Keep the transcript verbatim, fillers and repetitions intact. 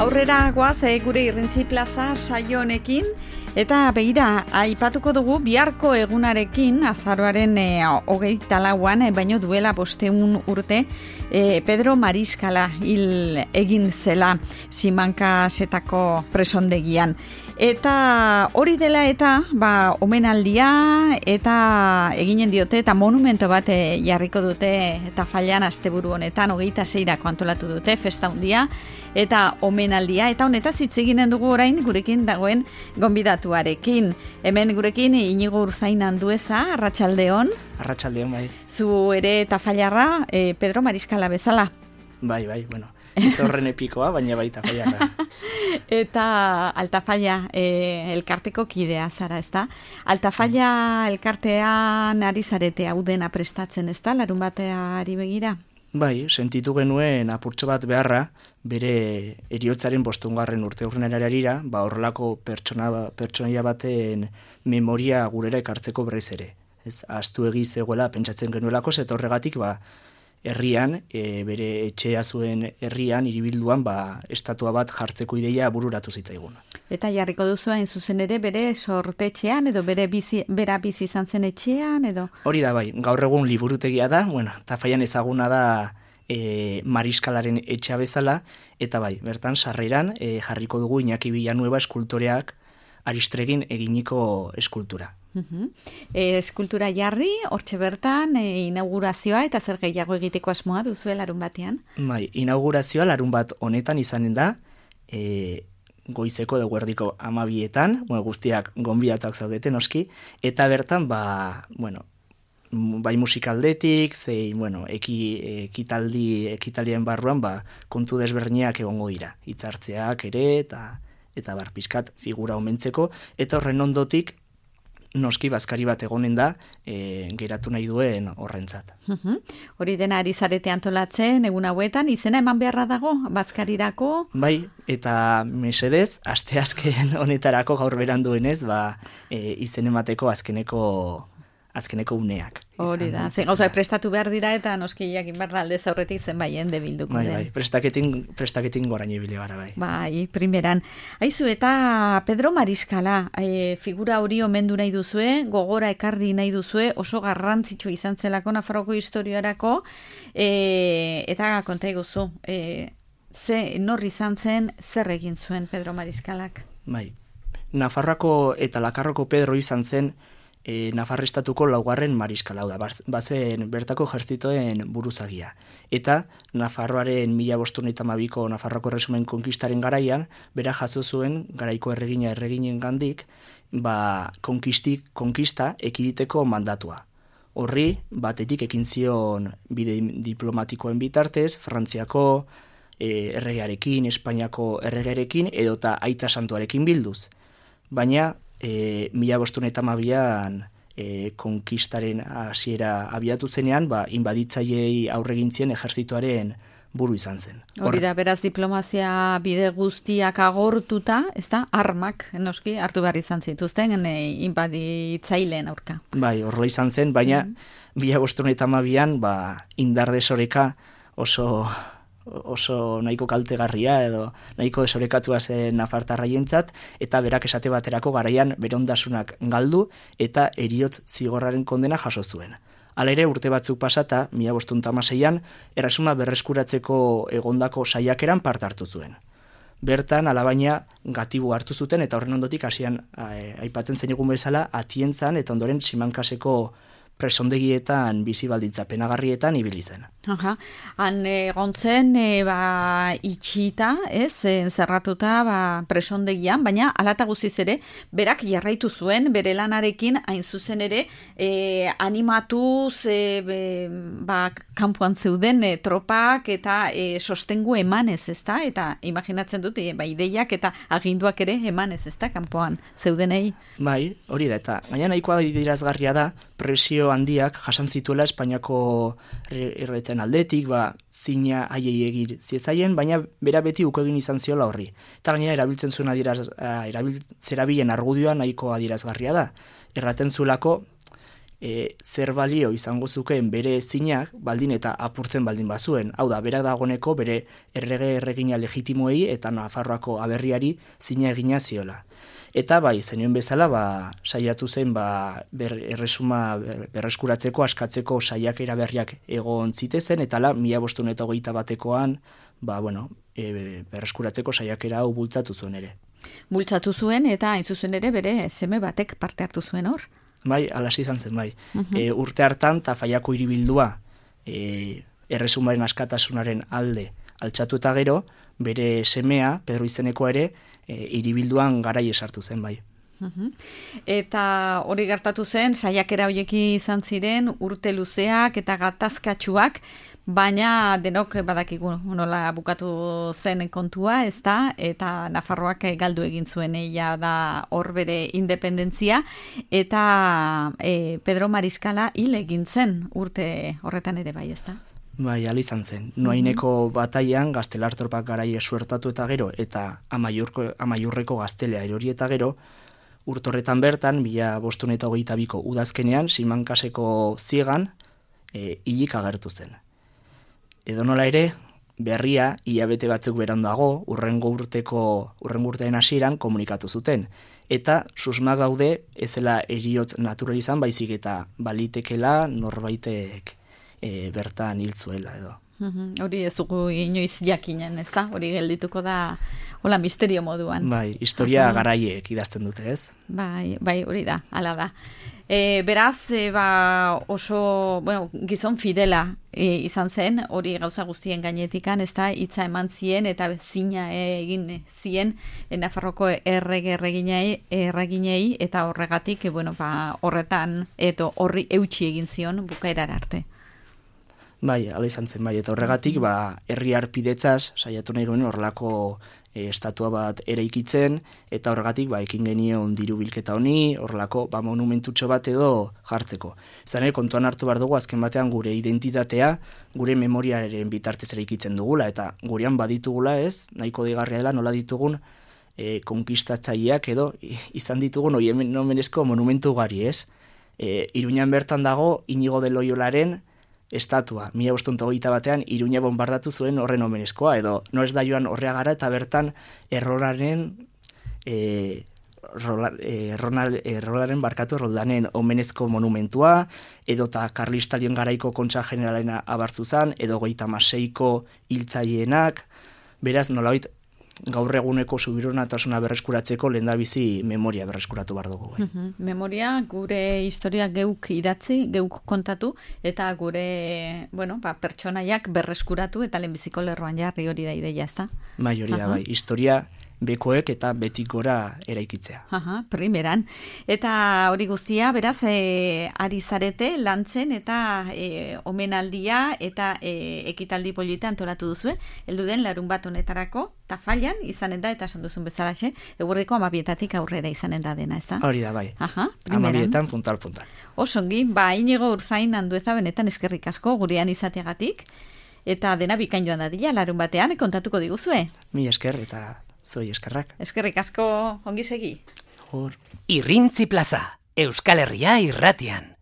aurrera goaz e, gure Irrintzi Plaza saio honekin, eta begira, aipatuko dugu biharko egunarekin, azaroaren e, hogeita lauan, e, baino duela bosteun urte, e, Pedro Mariskala hil egin zela Simankasetako presondegian. Eta hori dela eta, ba, omenaldia eta eginen diote eta monumento bat e, jarriko dute eta Tafallan asteburu honetan, hogeita seirako antolatu dute, festa handia eta omenaldia, eta honetaz hitz eginen dugu orain gurekin dagoen gonbidatuarekin. Hemen gurekin Inigo Urzain Andueza, arratsaldeon. Arratsaldeon, bai. Zu ere Tafallarra, e, Pedro Mariskala bezala. Bai, bai, bueno. Ez horren epikoa, baina baita Tafallarra. Eta Altafalla e, elkarteko kidea zara, ezta? Altafalla elkartean ari zarete hau dena prestatzen, ezta? Larun bateari begira? Bai, sentitu genuen apurtxo bat beharra, bere heriotzaren bostungarren urte urrenararira, ba horrelako pertsona pertsonaia baten memoria gurera ekartzeko berriz ere. Ez ahaztu egi zegoela pentsatzen genuelako, eta horregatik ba herrian, e, bere etxea zuen herrian, hiribilduan, ba, estatua bat jartzeko ideia bururatu zitzaigun. Eta jarriko duzu hain zuzen ere bere sortetxean, edo bere bizi, bera bizi izan zen etxean, edo? Hori da, bai, gaur egun liburutegia da, bueno, Tafallan ezaguna da e, Mariskalaren etxea bezala, eta bai, bertan sarreran e, jarriko dugu Iñaki Villanueva eskultoreak Aristregin eginiko eskultura. Uh-huh. E, eskultura jarri, hortxe bertan, e, inaugurazioa eta zer gehiago egiteko asmoa duzu larun batean? Bai, inaugurazioa larun bat honetan izanen da, e, goizeko edo guerdiko amabietan, bueno, guztiak gonbidatuak zaudete noski, eta bertan, ba, bueno, bai musikaldetik, zein, bueno, eki, ekitaldi, ekitaldien barruan, ba, kontu desberniak egongo dira, hitzartzeak ere, eta eta bar, pizkat figura omentzeko, eta horren ondotik, noski bazkari bat egonen da, e, geratu nahi duen horrentzat. Uh-huh. Hori dena ari zarete antolatzen, egun hauetan, izena eman beharra dago, bazkarirako? Bai, eta mesedez, aste azken honetarako gaur beranduenez, ba, e, izen emateko azkeneko azkeneko uneak. Hori da, zen gauza prestatu behar dira eta noski jakin behar alde zaurretik zenbaien debilduko bai, den. Bai, prestaketin, prestaketin gorain ibili gara, bai. Bai, primeran. Aizu, eta Pedro Mariskala, e, figura hori omendu nahi duzue, gogora ekarri nahi duzue, oso garrantzitsu izan zelako Nafarroko historiarako, e, eta konta iguzu, e, ze nor izan zen, zer egin zuen Pedro Mariskalak? Bai, Nafarroako eta Lakarroko Pedro izan zen, E, Nafarrestatuko laugarren mariskala da, bazen bertako ejertzitoen buruzagia. Eta Nafarroaren mila bostehun eta hamabiko Nafarroko Erresumen konkistaren garaian, bera jaso zuen garaiko erregina erreginen gandik, ba, konkistik, konkista ekiditeko mandatua. Horri, batetik ekin zion bide diplomatikoen bitartez, Frantziako e, erregearekin, Espainiako erregearekin, edota Aita Santuarekin bilduz. Baina, E, mila bostehun eta hamabian e, konkistaren hasiera abiatu zenean, ba, inbaditzaileei aurregintzien ejertzitoaren buru izan zen. Hori da, beraz diplomazia bide guztiak agortuta, ez da, armak, noski, hartu behar izan zituzten, e, inbaditzaileen aurka. Bai, horrela izan zen, baina mila bostehun eta hamabian, ba, indar desoreka oso... oso nahiko kaltegarria edo nahiko desorekatua zen nafartarraientzat, eta berak esate baterako garaian bere ondasunak galdu eta heriotz zigorraren kondena jaso zuen. Hala ere, urte batzuk pasata, mila bostehun eta hamaseian, erresuma berreskuratzeko egondako saiakeran parte hartu zuen. Bertan, alabaina, gatibu hartu zuten, eta horren ondotik hasian aipatzen zen egun bezala, Atientzan eta ondoren Simankaseko presondegietan bizi baldintza penagarrietan ibili zen. Aha, han egon zen e, ba, itxita, ez, encerratuta ba, presondegian, baina alata guziz ere, berak jarraitu zuen, bere lanarekin, hain zuzen ere, e, animatuz, e, be, ba, kanpoan zeuden e, tropak eta e, sostengu emanez, ezta? Eta imaginatzen dut, e, ba, ideiak eta aginduak ere emanez, ezta, kanpoan zeudenei. Bai, hori da, eta baina nahikoa dirazgarria da, presio handiak jasan zituela Espainiako erretzen aldetik, ba, zina haiei egir ziezaien, baina bera beti uko egin izan ziola horri. Eta gainera erabiltzen zuen adiraz, erabiltzerabilen argudioa nahiko adierazgarria da. Erraten zuelako, e, zer balio izango zukeen bere zinak baldin eta apurtzen baldin bazuen. Hau da, berak dagoneko bere errege erregina legitimoei eta Nafarroako aberriari zina egina ziola. Eta bai, zenioen bezala, ba, saiatu zen ba, ber, erresuma ber, berreskuratzeko, askatzeko saiakera berriak egon zitezen, eta la, mila bostehun eta hogeita batekoan, ba, bueno, e, berreskuratzeko saiakera hau bultzatu zuen ere. Bultzatu zuen, eta hain zuzen ere bere seme batek parte hartu zuen hor? Bai, alas izan zen, bai. Uh-huh. E, urte hartan, Tafallako hiribildua e, erresumaren askatasunaren alde altxatu eta gero, bere semea, Pedro izeneko ere, e, hiribilduan garai esartu zen, bai. Uh-huh. Eta hori gertatu zen, saiakera hoieki izan ziren, urte luzeak eta gatazkatsuak, baina denok badakigu nola bukatu zen kontua, ez da, eta Nafarroak galdu egin zuen eia da hor bere independentzia, eta e, Pedro Mariskala hil egin zen urte horretan ere bai, ez da? Bai, al izan zen. Noaineko bataian gaztelartorpak garaia suertatu eta gero, eta amaiurko, amaiurreko gaztelea erori eta gero, urtorretan bertan, mila bostehun eta hogeita biko udazkenean, Simankaseko ziegan, e, hilik agertu zen. Edo nola ere, berria, hilabete batzuk berandago, urrengo urteko, urrengo urtean hasieran komunikatu zuten. Eta susma gaude, ezela eriotz natural izan, baizik eta balitekela norbaitek e, bertan hiltzuela edo. Hori ez dugu inoiz jakinen, ez da? Hori geldituko da, hola, misterio moduan. Bai, historia uh-huh. garaiek idazten dute, ez? Bai, bai, hori da, hala da. E, beraz, e, ba, oso, bueno, gizon fidela e, izan zen, hori gauza guztien gainetikan, ez da, hitza eman zien eta zina egin zien e, Nafarroko errege erreginei, erreginei eta horregatik, e, bueno, ba, horretan, eto horri eutxi egin zion bukaerara arte. Bai, ala izan zen, bai, eta horregatik, ba, herri harpidetzaz, saiatu nahi duen horrelako e, estatua bat eraikitzen, eta horregatik, ba, ekin genion diru bilketa honi, horrelako, ba, monumentutxo bat edo jartzeko. Zane, kontuan hartu behar dugu, azken batean gure identitatea, gure memoriaren bitartez eraikitzen dugula, eta gurean baditugula, ez, nahiko digarria dela, nola ditugun, e, konkistatzaileak edo, izan ditugun, oi hemen nomenezko monumentu gari, ez? E, Iruñan bertan dago, Inigo de Loyolaren estatua, mila bostehun eta hogeita batean, Iruña bombardatu zuen horren omenezkoa, edo no ez da joan horrea gara, eta bertan errolaren, e, rola, e, ronal, errolaren barkatu erroldanen omenezko monumentua, edo eta Karlistalien garaiko kontxa generalena abartzu zan, edo goita maseiko hiltzaienak, beraz nolabait gaur eguneko subironatasuna berreskuratzeko lehendabizi memoria berreskuratu behar dugu. Uh-huh. Memoria, gure historia geuk idatzi, geuk kontatu, eta gure, bueno, ba, pertsonaiak berreskuratu eta lehenbiziko lerroan jarri hori da ideia, ez da? Bai, hori da, bai. Historia bekoek eta betik gora eraikitzea. Aha, primeran. Eta hori guztia, beraz, e, ari zarete lantzen eta e, omenaldia eta e, ekitaldi polita antolatu duzue, heldu den larun bat honetarako, Tafallan izanen da, eta esan duzun bezalaxe, eguerdiko amabietatik aurrera izanen da dena, ez da? Hori da, bai. Aha, primeran. Amabietan, puntal, puntal. Osongi, ba, Inigo Urzain Andueza benetan eskerrik asko, gurean izateagatik, eta dena bikain joan dadila, larun batean, kontatuko diguzue. Mi esker, eta zoi eskerrak. Eskerrik asko, ongi segi. Hor. Irrintzi plaza, Euskal Herria irratian.